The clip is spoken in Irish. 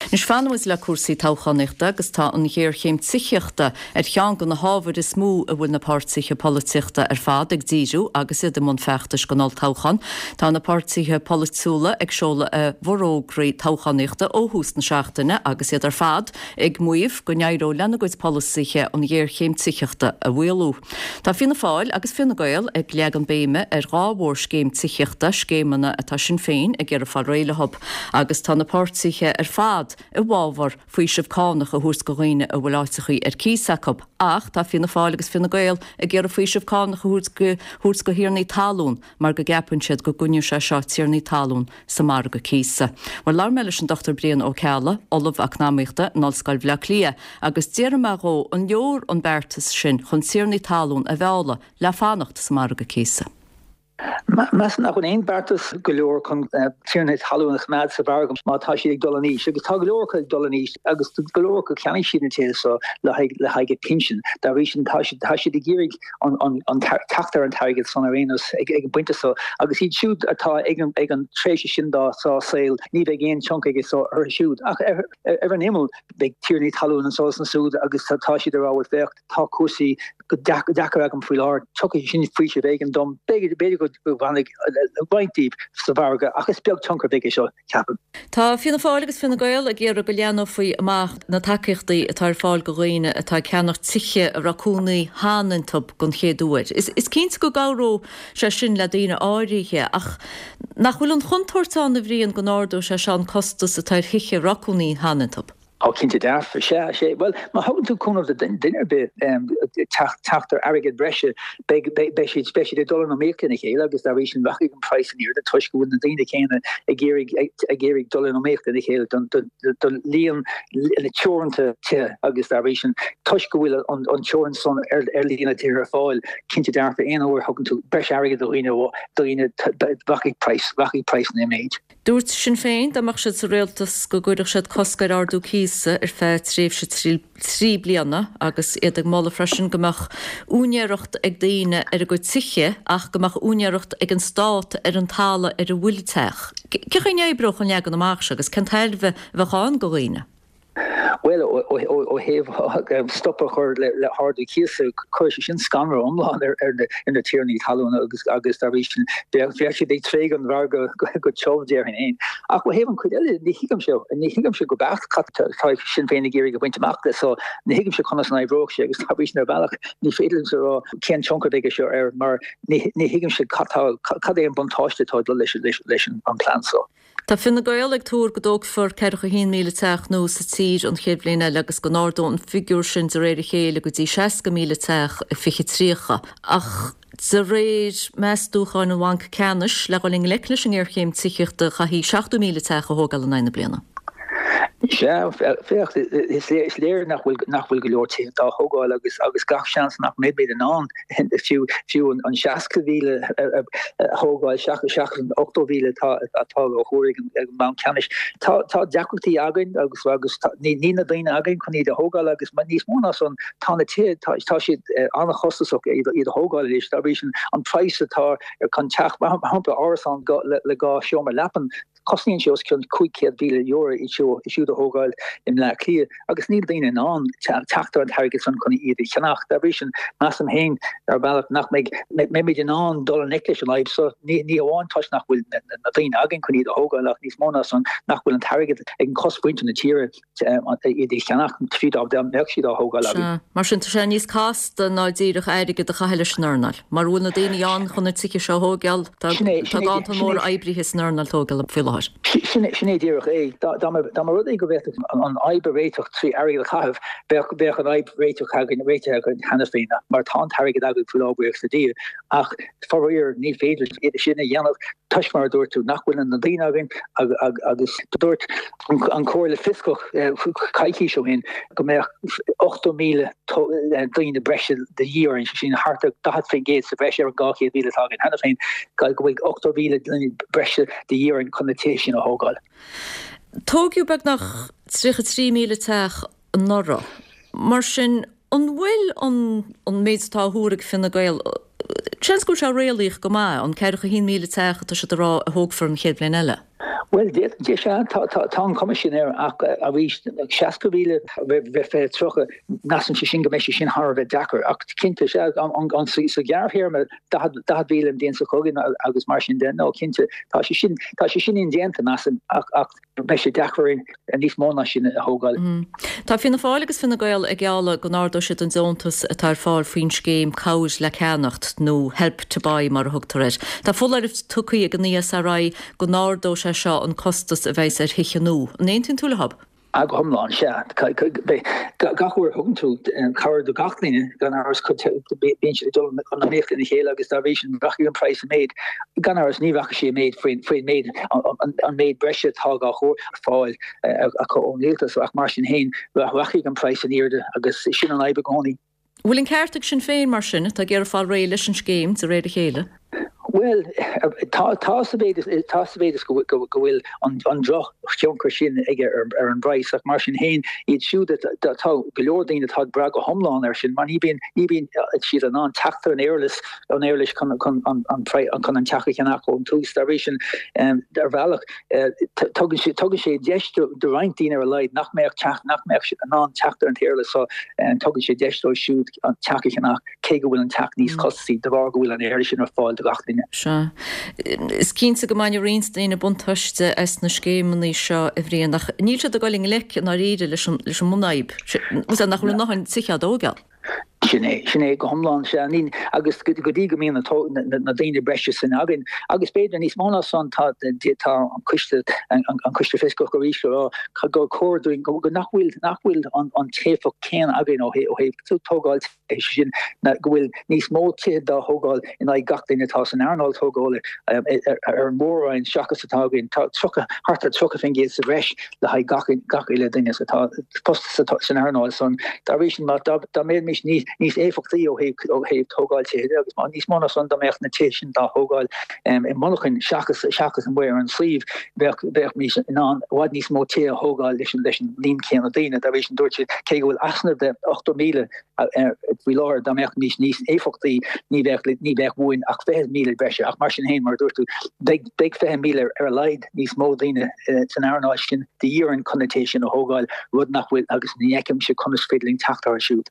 Anois fanfaidh muid le cúrsaí toghchánaíochta agus tá an ghéarchéim tithíochta ar cheann de na hábhair is mó a bhfuil na páirtithe polaitíochta ar fad ag díriú agus iad i mbun feachtais don olltoghchán. Tá na páirtithe polaitiúla ag seoladh a bhforógraí toghchánaíochta ó thús na seachtaine agus iad ar fad ag maíomh go n-éireoidh lena gcuid polasaithe an ghéarchéim tithíochta a mhaolú. Tá Fianna Fáil agus Fine Gael ag leagan béime ar dhá mhórscéim tithíochta, scéimeanna atá Sinn Féin ag iarraidh fáil réidh leo, agus tá na páirtithe ar fad i bhfabhar faoiseamh cánach a thabhairt do dhaoine a bhfuil áiteachaí ar cíos acu. Ach tá Fianna Fáil agus Fine Gael ag iarraidh faoiseamh cánach a thabhairt do thiarnaí talún mar go gceapann siad go gcoinneoidh sé seo tiarnaí talún sa margadh cíosa. Bhuel, labhair mé leis an Dr Brian Ó Ceallaigh, Ollamh Eacnamaíochta in Ollscoil Bhaile Átha Cliath, agus d'fhiafraigh mé dhó an leor an beartas sin chun tiarnaí talún a mhealladh le fanacht sa margadh cíosa. Measaim nach bhfuil aon bheartas go leor chun tiarnaí talún a choimeád sa mhargadh má tá siad ag dul in aois, agus tá go leor acu ag dul in aois agus go leor acu cheannaigh siad na tithe seo le haghaidh a bpinsean. Dá bhrí sin tá siad ag iarraidh an teacht ar an t-airgead san ar aon nós ag an bpointe seo agus iad siúd atá ag an tréimhse sin dá saol ní bheidh aon tionchar aige seo orthu siúd. Ach ar an imeall beidh tiarnaí talún anso is ansúd agus tá siad ag rá bhuel féach tá cúrsaí go deacair agam faoi láthair, tiocfaidh sin faoiseamh éigin dom, b'fhéidir go bhfanfaidh roinnt díobh sa mhargadh ach is beag tionchar a bheidh aige seo. ceapaim. Tá Fianna Fáil agus Fine Gael ag iarraidh go leathnófaí amach na tacaíochtaí atá ar fáil do dhaoine atá ag ceannach tithe a raibh cónaí cheana iontu den chéad uair. Is cinnte go gcabhródh sé sin le daoine áirithe ach nach bhfuil an chontúirt ann, a Bhriain, go n-ardóidh sé seo an costas atá ar thithe a raibh cónaí cheana iontu? Ó, cinnte dearfa. Sea, sea. Bhuel, má thugann tú cúnamh do duine ar bith teacht ar airgead breise, beidh, beidh siad, beidh siad ag dul in iomaíocht lena chéile agus dá bhrí sin rachaidh an praghas in airde toisc go bhfuil na daoine céanna ag iarraidh, ag iarraidh dul in iomaíocht lena chéile don, don, don líon teoranta tithe agus dá bhrí sin toisc go bhfuil an, an teorainn san ar, ar líon na tithe ar fáil, cinnte dearfa aon uair a thugann tú breis airgid do dhaoine, daoine, rachaidh praghas, rachaidh praghas i méid. Dúirt Sinn Féin dá mbeadh siad sa rialtas go gcuirfeadh siad cosc ar ardú cíosa ar feadh tréimhse 3 bliana agus iad ag moladh freisin go mbeadh úinéireacht ag daoine ar a gcuid tithe ach go mbeadh úinéireacht ag an stát ar an talamh ar a bhfuil an teach. Cén chaoi a n-oibreodh an leagan amach seo agus cén tairbhe a bheadh ann do dhaoine? Bhuel, ó thaobh stop a chur le hardú cíosa, chuirfeadh sé sin scanradh iomlán ar na tiarnaí talún agus agus dá bhrí sin bheadh siad ag tréigean an mhargaidh go tiubh, déarfainn féin. Ach ó thaobh an chuid eile, ní thuigimse, ní thuigimse go beacht cad tá Sinn Féin ag iarraidh a bhaint amach de so ní thuigimse conas an oibreoidh sé agus dá bhrí sin ar bhealach ní féidir liomsa a rá cén tionchar a bheidh aige seo air mar ní thuigimse cad é an buntáiste atá ag dul leis an plean so. Tá Fine Gael ag tuar go dtógfar 41,000 teach nua sa tír an chéad bhliain eile agus go n-ardóidh an figiúr sin de réir a chéile go dtí 60,000 teach i 2030. Ach de réir meastúcháin an Bhainc Ceannais, le dhul i ngleic leis an ngéarchéim tithíochta chaithfí 70,000 teach a thógáil in aghaidh na bliana. Sea, féach, is léir nach bhfuil go leor tithe á dtógáil agus gach seans nach mbeimid in ann fiú fiú an 60,000 a thógáil seachas an 80,000 atá á thuar ag an mBanc Ceannais. Tá tá deacrachtaí againn agus agus níl na daoine againn chun iad a thógáil agus níos mó ná san tá na tithe tá tá siad an-chostasach iad a thógáil anois. Dá bhrí sin an praghas atá ar chun teach mar shampla árasán le dhá seomra leapan Cosnaíonn sé os cionn €500,000 iad siúd a thógáil i mBleá Cliath agus níl daoine in ann teacht ar an t-airgead san chun iad a cheannach. Dá bhrí sin, measaim féin, ar bhealach, nach mbeidh mbeimid in ann dul i ngleic leis an fhadhb seo, ní hamháin toisc nach bhfuil na daoine againn chun iad a thógáil ach níos mó ná san, nach bhfuil an t-airgead ag an chosmhuintir na tíre iad a cheannach, fiú dá mbeadh siad á thógáil againn. Sea. Mar sin, tá sé níos casta ná díreach airgead a chaitheamh leis an earnáil. Mura bhfuil na daoine ann chun na tithe seo a thógáil, tá ganntan mór oibrithe san earnáil tógála faoi láthair. Sin é díreach é. Dá mba rud é go bhféadfadh an fhadhb a réiteach trí airgead a chaitheamh, bheadh an fhadhb réiteach againn, réitithe againn cheana féin, mar tá an t-airgead againn faoi láthair, buíochas le Dia. Ach faraor, ní féidir sin a dhéanamh toisc, mar a dúirt tú, nach bhfuil na daoine againn agus dúirt an Chomhairle Fioscach coicís ó shin go mbeadh 80,000 daoine breise de dhíth orainn, sé sin thart ar 40% sa bhreis ar an 200,000 atá againn cheana féin, go bhfuil 80,000 duine breise de dhíth orainn chun na tithe sin a thógáil. Tógadh beagnach 33,000 teach anuraidh. Mar sin, an bhfuil an méid atá á thuar ag Fine Gael, seans go bhfuil sé réalaíoch go maith, an 41,000 teach atá siad a rá a thógfar an chéad bhliain eile? Bhuel, sea, tá an chuma sin air ach arís, 60,000 roimh 2030, measaimse sin go mbeidh sé sin thar a bheith deacair. Ach cinnte, sea, sa ghearrthéarma, 40,000 an bhliain seo chugainn agus mar sin de, no, cinnte, tá sé sin, tá sé sin indéanta, measaim, ach beidh sé deacair orainn níos mó ná sin a thógáil. Tá Fianna Fáil agus Fine Gael ag gealladh go n-ardóidh siad an deontas atá ar fáil faoin scéim Cabhair le Ceannacht, nó Help to Buy mar a thugtar air. Tá foláireamh tugtha ag an ESRI go n-ardóidh sé seo an costas a bheas ar thithe nua. An aontaíonn tú leo? Go hiomlán, sea. Gach uair a thugann tú cabhair do gach duine, gan amhras, bíonn siad ag dul in iomaíocht lena chéile agus dá bhrí sin rachaidh an praghas i méid. Gan amhras, ní rachaidh sé i méid faoin méid, an méid breise atá á chur ar fáil acu ón rialtas ach mar sin féin, rachaidh an praghas in airde agus sin an fhadhb i gcónaí. Bhfuil an ceart ag Sinn Féin, mar sin, atá ag iarraidh fáil réidh leis an scéim de réir a chéile? Bhuel, tá, tá sa mhéid is, tá sa mhéid is go go bhfuil an an drochthionchar sin aige ar ar an bpraghas ach mar sin féin, iad siúd atá, tá go leor daoine atá ag brath go hiomlán air sin mar ní bhíonn, ní bhíonn siad in ann teacht ar an éarlais, an éarlais chun chun an an chun an teach a cheannach ón tús. Dá bhrí sin, ar bhealach, Tugann sé tugann sé deis do roinnt daoine ar a laghad nach mbeadh teacht nach mbeadh siad in ann teacht ar an t-éarlais so tugann sé deis dóibh siúd an teach a cheannach cé go bhfuil an teach níos costasaí de bharr go bhfuil an éarlais sin ar fáil do gach duine. Sea. Is cinnte go mbainfidh roinnt daoine buntáiste as na scéimeanna seo a Bhriain ach níl siad ag dul i ngleic i ndáiríre leis an leis an mbunfhadhb. Sea, nach bhfuil a ndóthain tithe á dtógáil. Sin é, sin é go hiomlán, sea. Ní, agus go dtí go mbíonn na, na, na daoine breise sin againn, agus b'fhéidir níos mó ná san, tá, tá an coiste, an, an coiste fioscach arís ag rá gur chóir dúinn, go, go nach bhfuil, nach bhfuil an, an t-éifeacht céanna againn ó thaobh, ó thaobh tógáil tithe, sé sin, na, go bhfuil níos mó tithe dá thógáil in aghaidh gach duine atá san earnáil tógála ar, ar an mór-roinn seachas atá againn. Tá 30, thart ar 30% sa bhreis le haghaidh gach, gach uile duine atá fostaithe san earnáil san. Dá bhrí sin, má, dá, dá mbeimis níos, níos éifeachtaí ó thaobh, ó thaobh tógáil tithe de agus má, níos mó ná san, dá mbeadh na tithe sin dá thógáil i monarchain seachas, seachas amuigh ar an suíomh, bheadh, bheimís in ann i bhfad níos mó tithe a thógáil leis an, leis an líon céanna daoine. Dá bhrí sin, dúirt siad, cé go bhfuil easnamh de 80,000 faoi láthair, dá mbeimís níos éifeachtaí, ní bheadh, ní bheadh uainn ach 20,000 breise. Ach mar sin féin, mar a dúirt tú, beidh, beidh 20,000 ar a laghad níos mó daoine san earnáil sin de dhíth orainn chun na tithe sin a thógáil, rud nach bhfuil, agus ní fheicimse conas féidir linn teacht orthu siúd.